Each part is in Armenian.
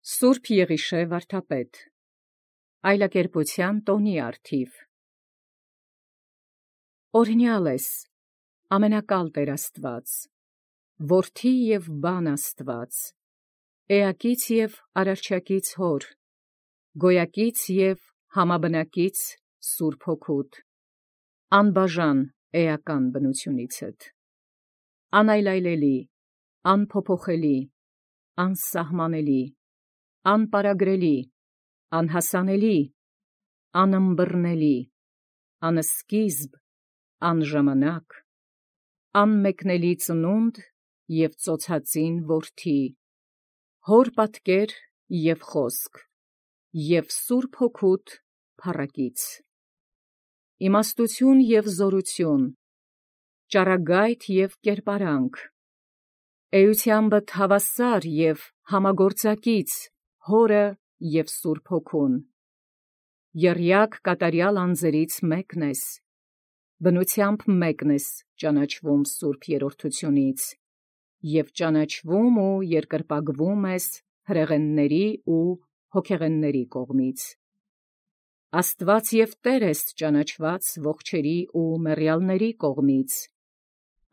Սուրբ Եղիշե վարդապետ, այլակերպության տոնի արդիվ։ Օրհնյալ ես, ամենակալ Տեր Աստված, որդի և բան Աստված, էակից և արարչակից հոր, գոյակից և համաբնակից Սուրբ Հոգուդ, անբաժան էական բնությունիցդ, անայլայլելի, անփոփոխելի, անսահմանելի, անպարագրելի, անհասանելի, անըմբռնելի, անսկիզբ, անժամանակ, անմեկնելի ծնունդ և ծոցածին որդի, հոր պատկեր և խոսք, և Սուրբ Հոգուդ փառակից, իմաստություն և զորություն, ճառագայթ և կերպարանք, էութեամբդ հավասար և համագործակից Հորը և Սուրբ Հոգուն, եռյակ կատարյալ անձերից մեկն ես, բնութեամբ մեկն ես ճանաչվում Սուրբ Երրորդությունից, և ճանաչվում ու երկրպագվում ես հրեղենների ու հոգեղենների կողմից, Աստված և Տեր ես ճանաչված ողջերի ու մեռյալների կողմից,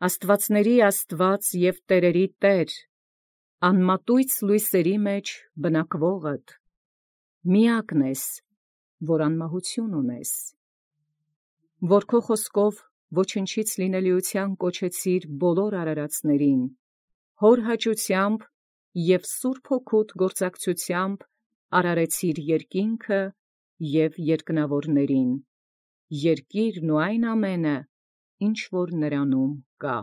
Աստվածների Աստված և տերերի Տեր, անմատույց լույսերի մեջ բնակվողդ, միակն ես, որ անմահություն ունես, որ քո խոսքով ոչնչից լինելիության կոչեցիր բոլոր արարածներին, հոր հաճությամբ և Սուրբ Հոգուդ գործակցությամբ արարեցիր երկինքը և երկնավորներին, երկիրն ու այն ամենը, ինչ որ նրանում կա,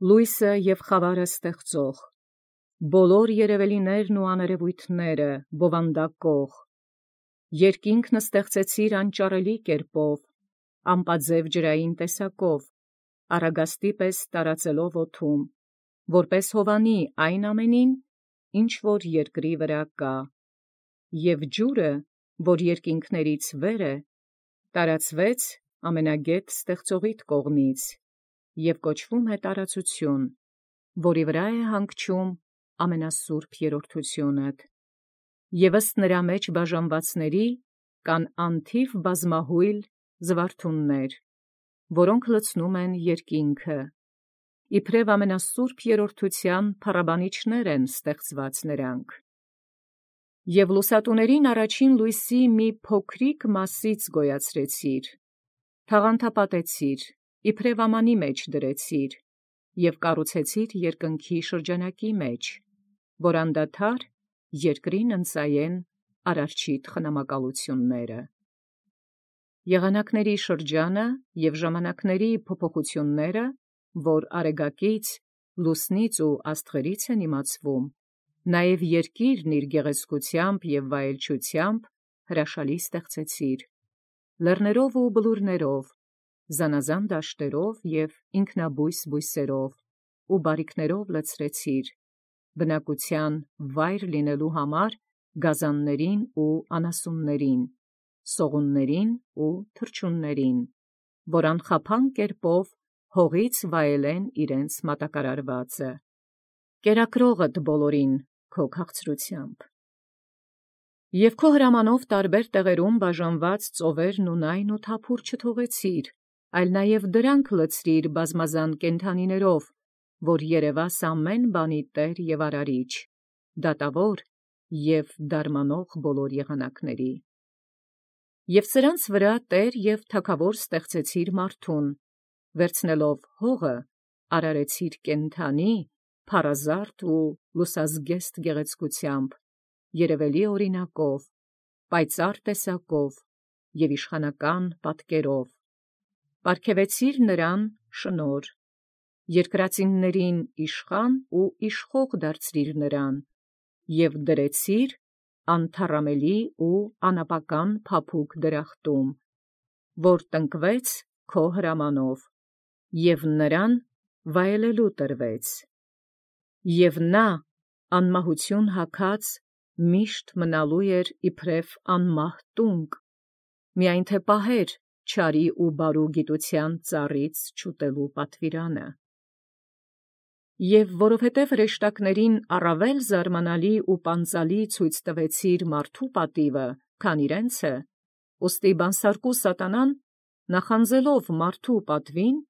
լույսը և խավարը ստեղծող, բոլոր երևելիներն ու աներևույթները բովանդակող, երկինքն ստեղծեցիր անճառելի կերպով, ամպաձև ջրային տեսակով, առագաստի պես տարածելով օդում, որպես հովանի այն ամենին, ինչ որ երկրի վրա կա, և ջուրը, որ երկինքներից վեր է, տարածվեց ամենագետ ստեղծողիդ կողմից, և կոչվում է տարածություն, որի վրա է հանգչում ամենասուրբ երրորդությունդ, և ըստ նրա մեջ բաժանվածների կան անթիվ բազմահույլ զվարթուններ, որոնք լցնում են երկինքը, իբրև ամենասուրբ երրորդության փառաբանիչներ են ստեղծված նրանք, և լուսատուներին առաջին լույսի մի փոքրիկ մասից գոյացրեցիր, թաղանթապատեցիր, իբրև ամանի մեջ դրեցիր, և կառուցեցիր երկնքի շրջանակի մեջ, որ անդադար երկրին ընծայեն արարչիդ խնամակալությունները, եղանակների շրջանը և ժամանակների փոփոխությունները, որ արեգակից, լուսնից ու աստղերից են իմացվում, նաև երկիրն իր գեղեցկությամբ և վայելչությամբ հրաշալի ստեղծեցիր, լեռներով ու բլուրներով, զանազան դաշտերով և ինքնաբույս բույսերով, ու բարիքներով լցրեցիր, բնակության վայր լինելու համար գազաններին ու անասուններին, սողուններին ու թռչուններին, որ անխափան կերպով հողից վայելեն իրենց մատակարարվածը, կերակրողդ բոլորին քո քաղցրությամբ, և քո հրամանով տարբեր տեղերում բաժանված ծովերն ունայն ու թափուր չթողեցիր, այլ նաև դրանք լցրիր բազմազան կենդանիներով, որ երևաս ամեն բանի Տեր և արարիչ, դատավոր և դարմանող բոլոր եղանակների, և սրանց վրա Տեր և թագավոր ստեղծեցիր մարդուն, վերցնելով հողը արարեցիր կենդանի, փառազարդ ու լուսազգեստ գեղեցկությամբ, երևելի օրինակով, պայծառ տեսակով և իշխանական պատկերով, պարգևեցիր նրան շնորհ, երկրածիններին իշխան ու իշխող դարձրիր նրան, և դրեցիր անթառամելի ու անապական փափուկ դրախտում, որ տնկվեց քո հրամանով, և նրան վայելելու տրվեց, և նա անմահություն հագած միշտ մնալու էր իբրև անմահ տունկ, միայն թե պահեր չարի ու բարու գիտության ծառից չուտելու պատվիրանը, Եվ որովհետև հրեշտակներին առավել զարմանալի ու պանծալի ցույց տվեցիր մարդու պատիվը, քան իրենցը, ուստի բանսարկու սատանան, նախանձելով մարդու պատվին,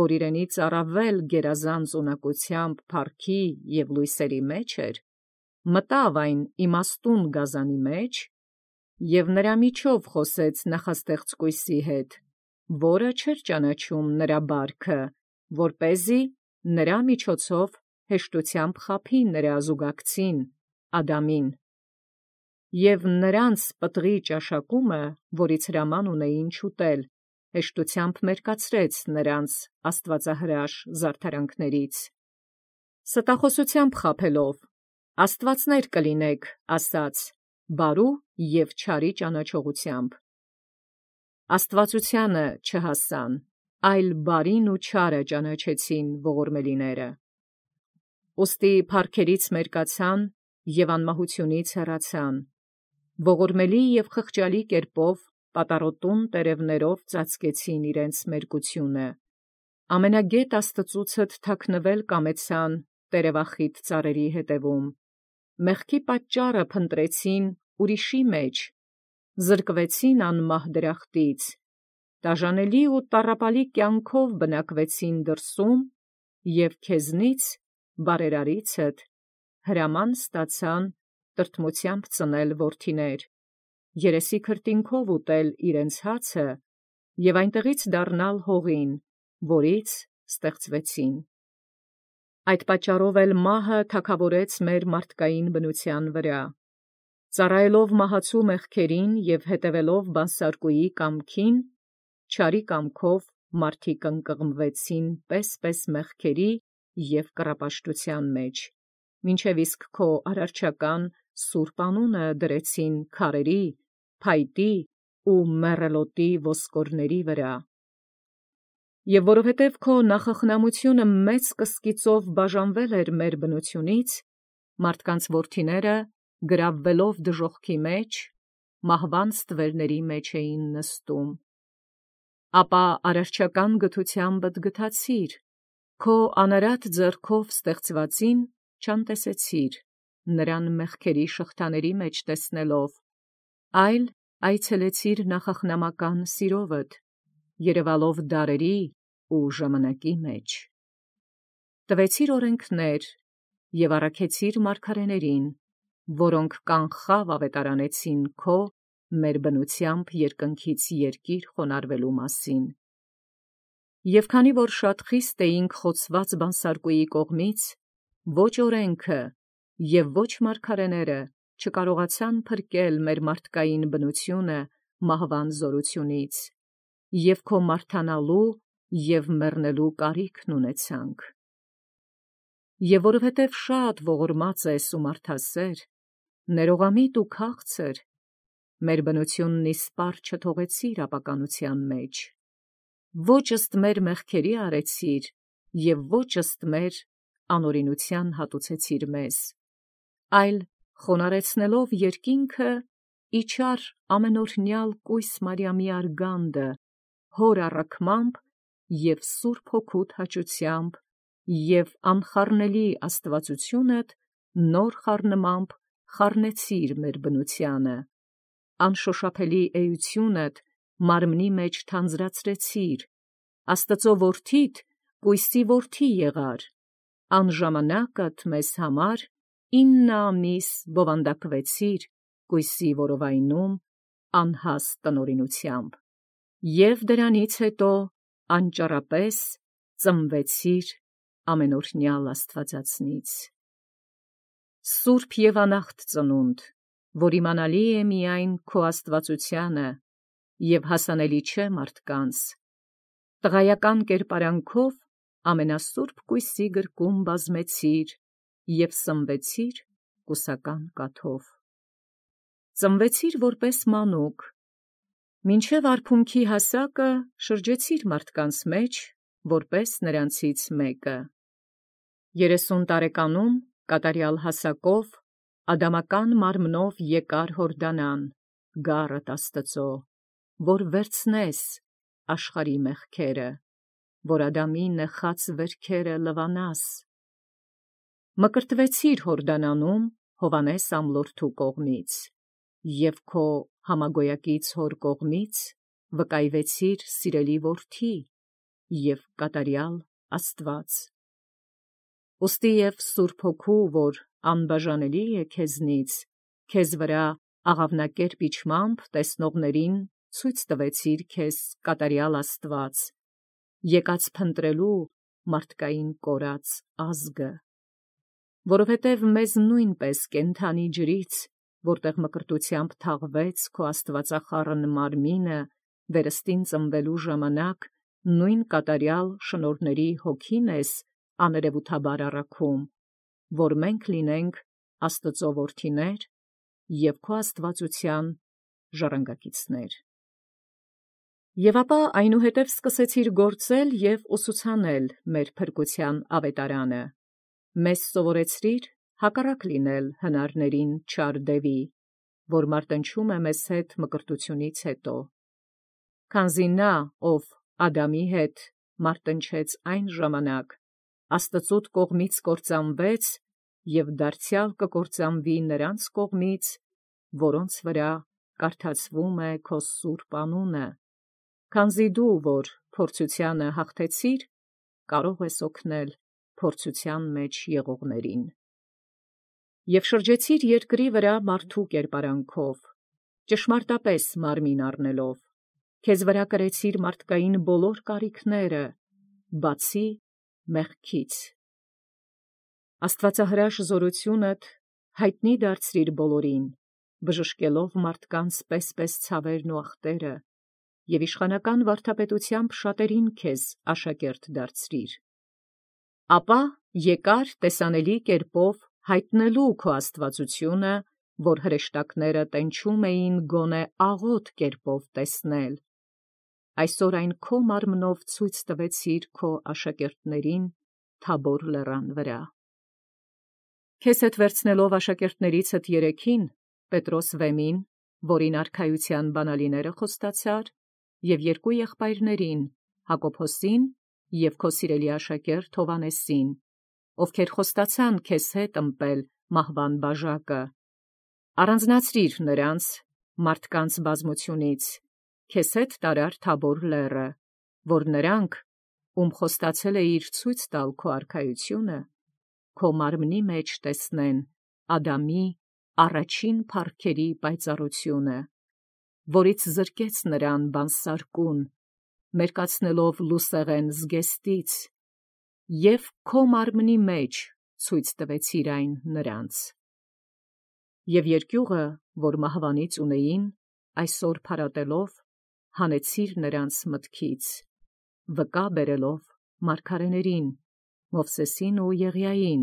որ իրենից առավել գերազանց ունակությամբ փառքի և լույսերի մեջ էր, մտավ այն իմաստուն գազանի մեջ և նրա միջով խոսեց նախաստեղծ կույսի հետ, որը չէր ճանաչում նրա բարքը, որպեսզի նրա միջոցով հեշտությամբ խաբի նրա զուգակցին Ադամին, և նրանց պտղի ճաշակումը, որից հրաման ունեին չուտել, հեշտությամբ մերկացրեց նրանց աստվածահրաշ զարդարանքներից, ստախոսությամբ խաբելով. «Աստվածներ կլինեք», ասաց, բարու և չարի ճանաչողությամբ։ Աստվածությանը չհասան, այլ բարին ու չարը ճանաչեցին ողորմելիները։ Ուստի փառքերից մերկացան և անմահությունից հեռացան, ողորմելի և խղճալի կերպով պատառոտուն տերևներով ծածկեցին իրենց մերկությունը, ամենագետ Աստծուցդ թաքնվել կամեցան տերևախիտ ծառերի ետևում, մեղքի պատճառը փնտրեցին ուրիշի մեջ, զրկվեցին անմահ դրախտից, տաժանելի ու տառապալի կյանքով բնակվեցին դրսում և քեզնից, բարերարիցդ, հրաման ստացան տրտմությամբ ծնել որդիներ, երեսի քրտինքով ուտել իրենց հացը և այնտեղից դառնալ հողին, որից ստեղծվեցին։ Այդ պատճառով էլ մահը թագավորեց մեր մարդկային բնության վրա, ծառայելով մահացու մեղքերին և հետևելով բանսարկուի կամքին, չարի կամքով մարդիկ ընկղմվեցին պես մեղքերի և կռապաշտության մեջ, մինչև իսկ քո արարչական սուրբ անունը դրեցին քարերի, փայտի ու մեռելոտի ոսկորների վրա։ Եվ որովհետև քո նախախնամությունը մեծ կսկիծով բաժանվել էր մեր բնությունից, մարդկանց որդիները, գրավվելով դժոխքի մեջ, մահվան ստվերների մեջ էին նստում։ Ապա արարչական գթությամբդ գթացիր, քո անարատ ձեռքով ստեղծվածին չանտեսեցիր, նրան մեղքերի շղթաների մեջ տեսնելով, այլ այցելեցիր նախախնամական սիրովդ, երևալով դարերի ու ժամանակի մեջ։ Տվեցիր օրենքներ և առաքեցիր մարգարեներին, որոնք կանխավ ավետարանեցին քո մեր բնությամբ երկնքից երկիր խոնարհվելու մասին։ Եվ քանի որ շատ խիստ էինք խոցված բանսարկուի կողմից, ոչ օրենքը և ոչ մարգարեները չկարողացան փրկել մեր մարդկային բնությունը մահվան զորությունից, և քո մարդանալու և մեռնելու կարիքն ունեցանք։ Եվ որովհետև շատ ողորմած ես ու մարդասեր, ներողամիտ ու քաղցր, մեր բնությունն իսպառ չթողեցիր ապականության մեջ, ոչ ըստ մեր մեղքերի արեցիր և ոչ ըստ մեր անօրինության հատուցեցիր մեզ, այլ խոնարհեցնելով երկինքը, իջար ամենօրհնյալ կույս Մարիամի արգանդը, հոր առաքմամբ և Սուրբ Հոգուդ հաճությամբ և անխառնելի աստվածությունդ նոր խառնմամբ խառնեցիր մեր բնությանը, անշոշափելի էությունդ մարմնի մեջ թանձրացրեցիր, Աստծու որդիդ կույսի որդի եղար, անժամանակդ մեզ համար 9 ամիս բովանդակվեցիր կույսի որովայնում անհաստ տնօրինությամբ, և դրանից հետո անճառապես ծնվեցիր ամենօրհնյալ Աստվածածնից։ Սուրբ և անախտ ծնունդ, որ իմանալի է միայն քո աստվածությանը և հասանելի չէ մարդկանց, տղայական կերպարանքով ամենասուրբ կույսի գրկում բազմեցիր և սնվեցիր կուսական կաթով։ Ծնվեցիր որպես մանուկ, մինչև արփունքի հասակը շրջեցիր մարդկանց մեջ, որպես նրանցից մեկը։ 30 տարեկանում կատարյալ հասակով ադամական մարմնով եկար Հորդանան, գառըդ Աստծո, որ վերցնես աշխարհի մեղքերը, որ Ադամի նեխած վերքերը լվանաս, Մկրտվեցիր Հորդանանում Հովանես ամլորդու կողմից, և քո համագոյակից հոր կողմից վկայվեցիր սիրելի որդի և կատարյալ Աստված։ Ուստի և Սուրբ Հոգու, որ անբաժանելի է քեզնից, քեզ վրա աղավնակերպ իջմամբ տեսնողներին ցույց տվեցիր քեզ կատարյալ Աստված, եկած փնտրելու մարդկային կորած ազգը։ Որովհետև մեզ նույնպես կենդանի ջրից, որտեղ մկրտությամբ թաղվեց քո աստվածախառն մարմինը, վերստին ծնվելու ժամանակ, նույն կատարյալ շնորհների հոգին ես աներևութաբար առաքում, որ մենք լինենք Աստծո որդիներ և քո աստվածության ժառանգակիցներ։ Եվ ապա այնուհետև սկսեցիր գործել և ուսուցանել մեր փրկության ավետարանը, մեզ սովորեցրիր հակառակ լինել հնարներին չար դևի, որ մարտնչում է մեզ հետ մկրտությունից հետո, քանզի նա, ով Ադամի հետ մարտնչեց այն ժամանակ, Աստծուտ կողմից կործանվեց և դարձյալ կկործանվի նրանց կողմից, որոնց վրա կարդացվում է քո սուրբ անունը, քանզի դու, որ փորձությանը հաղթեցիր, կարող ես օգնել փորձության մեջ եղողներին։ Եվ շրջեցիր երկրի վրա մարդու կերպարանքով, ճշմարտապես մարմին առնելով, քեզ վրա կրեցիր մարդկային բոլոր կարիքները, բացի մեղքից։ Աստվածահրաշ զորությունդ հայտնի դարձրիր բոլորին, բժշկելով մարդկանց պես ցավերն ու ախտերը, և իշխանական վարդապետությամբ շատերին քեզ աշակերտ դարձրիր։ Ապա եկար տեսանելի կերպով հայտնելու քո աստվածությունը, որ հրեշտակները տենչում էին գոնե աղոտ կերպով տեսնել։ Այսօր այն քո մարմնով ցույց տվեցիր քո աշակերտներին Թաբոր լեռան վրա։ Քեզ հետ վերցնելով աշակերտներիցդ երեքին, Պետրոս Վեմին, որին արքայության բանալիները խոստացար, և երկու եղբայրներին, Հակոբոսին և քո սիրելի աշակերտ Հովանեսին, ովքեր խոստացան քեզ հետ ըմպել մահվան բաժակը, առանձնացրիր նրանց մարդկանց բազմությունից, քեզ հետ տարար Թաբոր լեռը, որ նրանք, ում խոստացել էիր ցույց տալ քո արքայությունը, քո մարմնի մեջ տեսնեն Ադամի առաջին փառքերի պայծառությունը, որից զրկեց նրան բանսարկուն, մերկացնելով լուսեղեն զգեստից, և քո մարմնի մեջ ցույց տվեցիր այն նրանց։ Եվ երկյուղը, որ մահվանից ունեին, այսօր փարատելով, հանեցիր նրանց մտքից, վկա բերելով մարգարեներին, Մովսեսին ու Եղիային,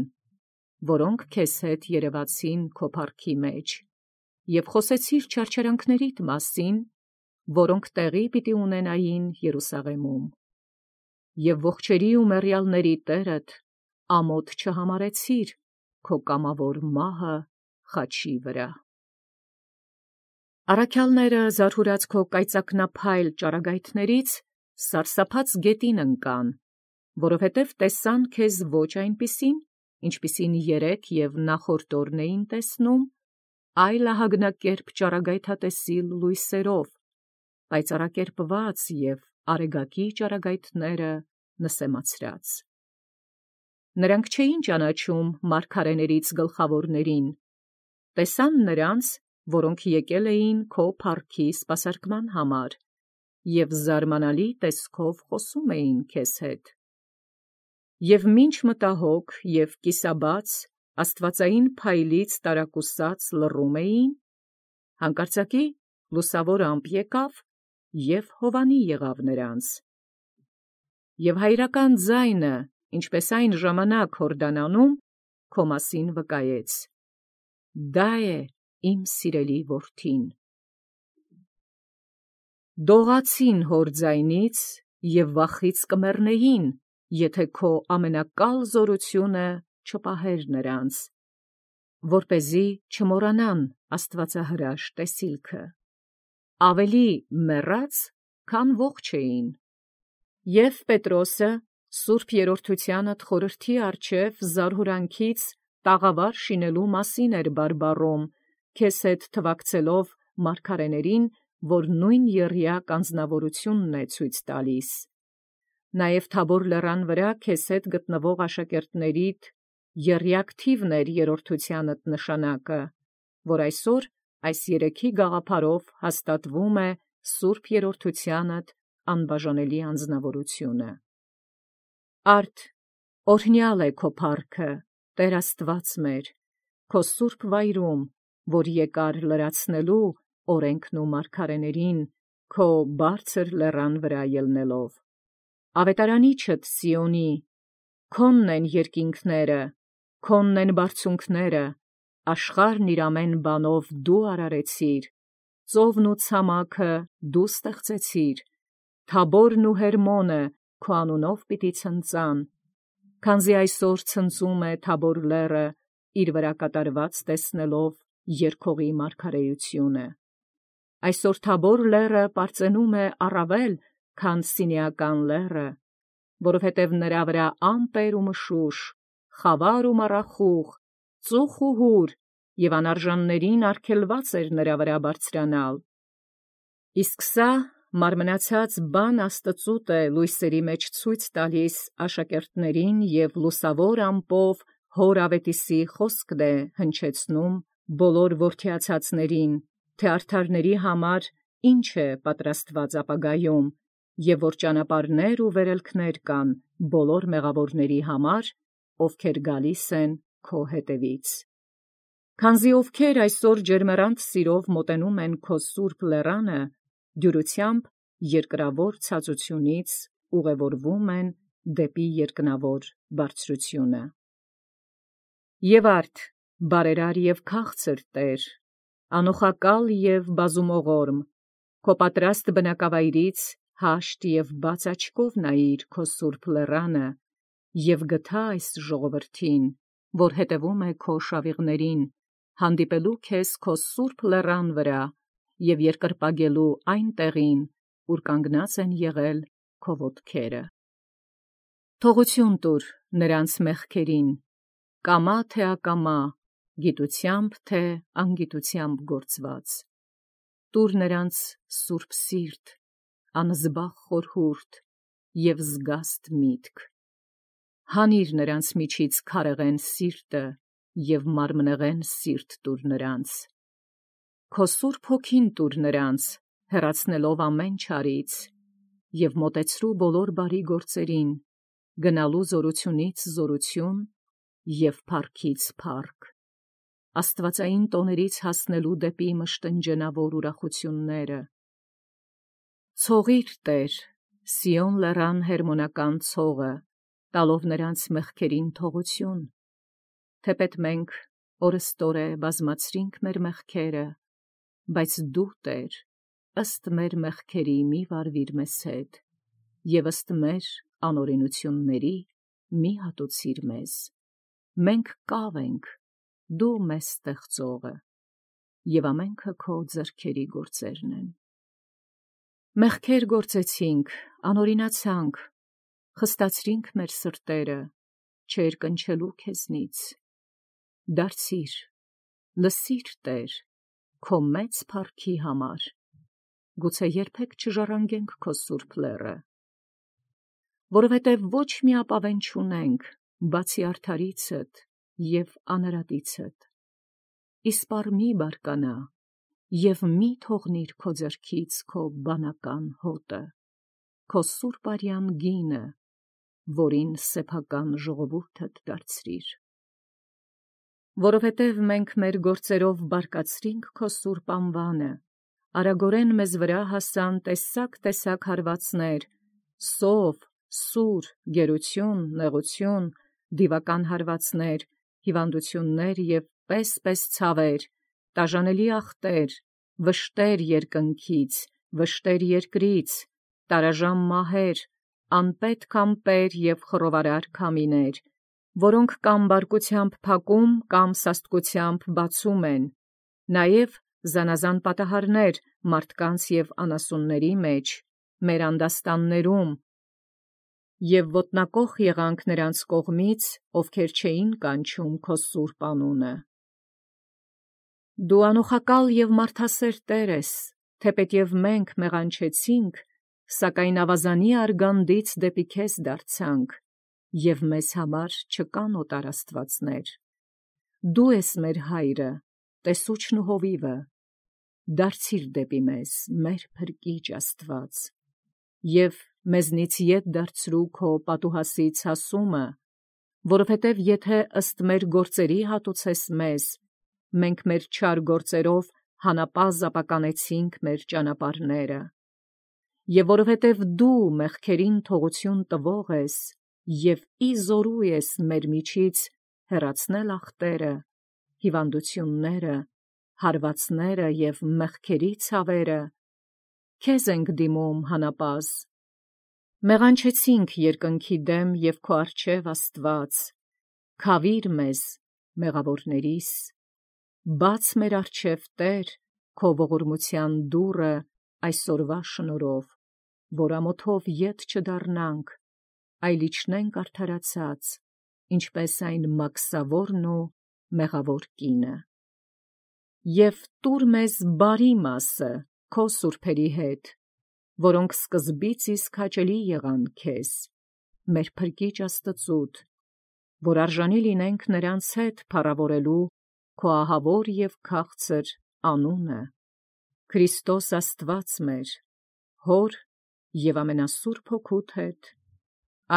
որոնք քեզ հետ երևացին քո փառքի մեջ, և խոսեցիր չարչարանքներիդ մասին, որոնք տեղի պիտի ունենային Երուսաղեմում։ Եվ ողջերի ու մեռյալների Տերդ ամոթ չհամարեցիր քո կամավոր մահը խաչի վրա։ Առաքյալները զարհուրած քո կայծակնափայլ ճառագայթներից սարսափած գետին ընկան, որովհետև տեսան քեզ ոչ այնպիսին, ինչպիսին երեկ և նախորդ օրն էին տեսնում, այլ ահագնակերպ ճառագայթատեսիլ լույսերով, պայծառակերպված և արեգակի ճառագայթները նսեմացրած։ Նրանք չէին ճանաչում մարգարեներից գլխավորներին, տեսան նրանց, որոնք եկել էին քո փառքի սպասարկման համար, և զարմանալի տեսքով խոսում էին քեզ հետ։ Եվ մինչ մտահոգ և կիսաբաց աստվածային փայլից տարակուսած լռում էին, հանկարծակի լուսավոր ամպ եկավ և հովանի եղավ նրանց։ Եվ հայրական ձայնը, ինչպես այն ժամանակ Հորդանանում, քո մասին վկայեց. «Դա է իմ սիրելի որդին»։ Դողացին հոր ձայնից և վախից կմեռնեին, եթե քո ամենակալ զորությունը չպահեր նրանց, որպեսզի չմոռանան աստվածահրաշ տեսիլքը, ավելի մեռած, քան ողջ էին։ Եվ Պետրոսը, սուրբ երրորդությանդ խորհրդի առջև զարհուրանքից տաղավար շինելու մասին էր բարբառում, քեզ հետ թվակցելով մարգարեներին, որ նույն եռյակ անձնավորությունն է ցույց տալիս։ Նաև Թաբոր լեռան վրա քեզ հետ գտնվող աշակերտներիդ եռյակ թիվն էր երրորդությանդ նշանակը, որ այսօր այս երեքի գաղափարով հաստատվում է Սուրբ Երրորդությանդ անբաժանելի անձնավորությունը։ Արդ օրհնյալ է քո փառքը, Տեր Աստված մեր, քո սուրբ վայրում, որ եկար լրացնելու օրենքն ու մարգարեներին, քո բարձր լեռան վրա ելնելով։ Ավետարանիչդ Սիոնի, քոնն են երկինքները, քոնն են բարձունքները, աշխարհն իր ամեն բանով դու արարեցիր, ծովն ու ցամաքը դու ստեղծեցիր, Թաբորն ու Հերմոնը քո անունով պիտի ցնծան, քանզի այսօր ցնծում է Թաբոր լեռը, իր վրա կատարված տեսնելով երկողի մարգարեությունը։ Այսօր Թաբոր լեռը պարծենում է առավել, քան Սինեական լեռը, որովհետև նրա վրա ամպեր ու մշուշ, խավար ու մառախուղ, ծուխ ու հուր, և անարժաններին արգելված էր նրա վրա բարձրանալ։ Իսկ սա մարմնացած բան Աստծուտ է լույսերի մեջ ցույց տալիս աշակերտներին և լուսավոր ամպով հոր ավետիսի խոսքն է հնչեցնում բոլոր որդիացածներին, թե արդարների համար ինչ է պատրաստված ապագայում, և որ ճանապարհներ ու վերելքներ կան բոլոր մեղավորների համար, ովքեր գալիս են քո հետևից։ Քանզի ովքեր այսօր ջերմեռանդ սիրով մոտենում են քո սուրբ լեռանը, դյուրությամբ երկրավոր ցածությունից ուղևորվում են դեպի երկնավոր բարձրությունը։ Եվ արդ, բարերար և քաղցր Տեր, անոխակալ և բազումողորմ, քո պատրաստ բնակավայրից հաշտ և բաց աչքով նայիր քո սուրբ լեռանը, և գթա այս ժողովրդին, որ հետևում է քո շավիղներին, հանդիպելու քեզ քո սուրբ լեռան վրա և երկրպագելու այն տեղին, ուր կանգնած են եղել քո ոտքերը։ Թողություն տուր նրանց մեղքերին, կամա թե ակամա, գիտությամբ թե անգիտությամբ գործված։ Տուր նրանց սուրբ սիրտ, անզբաղ խորհուրդ և զգաստ միտք։ Հանիր նրանց միջից քարեղեն սիրտը և մարմնեղեն սիրտ տուր նրանց։ Քո սուրբ հոգին տուր նրանց, հեռացնելով ամեն չարից, և մոտեցրու բոլոր բարի գործերին, գնալու զորությունից զորություն և փառքից փառք, աստվածային տոներից հասնելու դեպի մշտնջենավոր ուրախությունները։ Ցողիր, Տեր, Սիոն լեռան հերմոնական ցողը, տալով նրանց մեղքերին թողություն, թեպետ մենք օրըստօրե բազմացրինք մեր մեղքերը, բայց դու, Տեր, ըստ մեր մեղքերի մի վարվիր մեզ հետ, և ըստ մեր անօրենությունների մի հատուցիր մեզ։ Մենք կավ ենք, դու մեզ ստեղծողը, և ամենքը քո ձեռքերի գործերն են։ Մեղքեր գործեցինք, անօրինացանք, խստացրինք մեր սրտերը, չերկնչելու քեզնից։ Դարձիր, լսիր, Տեր, քո մեծ փառքի համար, գուցե երբեք չժառանգենք քո սուրբ լեռը, որովհետև ոչ մի ապավեն չունենք, բացի արդարիցդ և անարատիցդ։ Իսպառ մի բարկանա և մի թողնիր քո ձեռքից քո բանական հոտը, քո սուրբ արյան գինը, որին սեփական ժողովուրդդ դարձրիր։ Որովհետև մենք մեր գործերով բարկացրինք քո սուրբ անվանը, արագորեն մեզ վրա հասան տեսակ հարվածներ, սով, սուր, գերություն, նեղություն, դիվական հարվածներ, հիվանդություններ և պես ցավեր, տաժանելի ախտեր, վշտեր երկնքից, վշտեր երկրից, տարաժամ մահեր, անպետք ամպեր և խռովարար քամիներ, որոնք կամ բարկությամբ փակում, կամ սաստկությամբ բացում են, նաև զանազան պատահարներ մարդկանց և անասունների մեջ, մեր անդաստաններում, Եվ ոտնակոխ եղանք նրանց կողմից, ովքեր չէին կանչում քո սուրբ անունը։ Դու անուխակալ և մարդասեր Տեր ես, թեպետև մենք մեղանչեցինք, սակայն ավազանի արգանդից դեպի քեզ դարձանք, և մեզ համար չկան օտար աստվածներ։ Դու ես մեր հայրը, տեսուչն ու հովիվը, դարձիր դեպի մեզ, մեր փրկիչ Աստված, և մեզնից ետ դարձրու քո պատուհասից հասումը, որովհետև եթե ըստ մեր գործերի հատուցես մեզ, մենք մեր չար գործերով հանապազը ապականեցինք մեր ճանապարհները, և որովհետև դու մեղքերին թողություն տվող ես, և իզորու ես մեր միջից հեռացնել ախտերը, հիվանդությունները, հարվածները և մեղքերի ցավերը, քեզ ենք դիմում հանապազը։ Մեղանչեցինք երկնքի դեմ և քո առջև Աստված, քավիր մեզ, մեղավորներիս, բաց մեր առջև Տեր, քո ողորմության դուռը այսօրվա շնորհով, որ ամոթով ետ չդառնանք, այլ իջնենք արդարացած, ինչպես այն մաքսավորն ու մեղավոր կինը։ Եվ տուր մեզ բարի մասը քո սուրբերի հետ, որոնք սկզբից իսկ հաճելի եղան քեզ, մեր փրկիչ Աստծուդ, որ արժանի լինենք նրանց հետ փառավորելու քո ահավոր և քաղցր անունը, Քրիստոս Աստված մեր, Հոր և ամենասուրբ Հոգուդ հետ,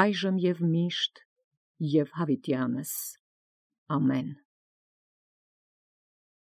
այժմ և միշտ և հավիտյանս։ Ամեն։